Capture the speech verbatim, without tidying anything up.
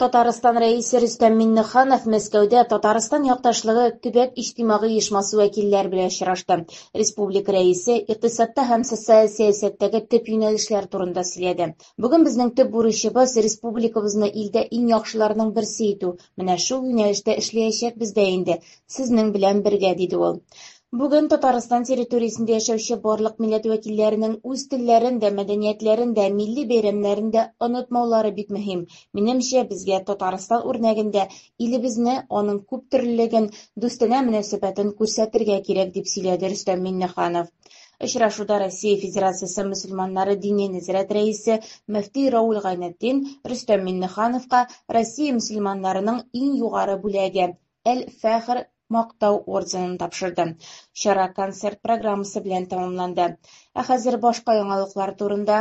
Татарстан Рәисе Рөстәм Миңнеханов Мәскәүдә "Татарстан якташлыгы" төбәк иҗтимагый оешмасы вәкилләре белән очрашты. Республика Рәисе икътисадта һәм социаль сәясәттәге төп юнәлешләр турында сөйләде. Бүген безнең төп бурычыбыз – республикабызны илдә иң яхшыларның берсе итү, менә шул юнәлештә эшләячәкбез дә инде, сезнең белән бергә, диде ул. Бүген Татарстан территориясендә яшәүче барлык милләт вәкилләренең үз телләрен дә, мәдәниятләрен дә, милли бәйрәмнәрен дә онытмаулары бик мөһим. Минемчә, безгә Татарстан үрнәгендә илебезне, аның күптөрлелеген, дустанә мөнәсәбәтен күрсәтергә кирәк, дип сөйләде Рөстәм Миңнеханов. Очрашуда Россия Федерациясе мөселманнары Диния нәзарәте рәисе мөфти Равил Гайнетдин Рөстәм Миңнехановка Россия мөселманнарының иң югары бүләге – "Әл-Фәхр" Мактау орденын тапшырды. Чара концерт программасы белән тәмамланды. Ә хәзер башка яңалыклар турында.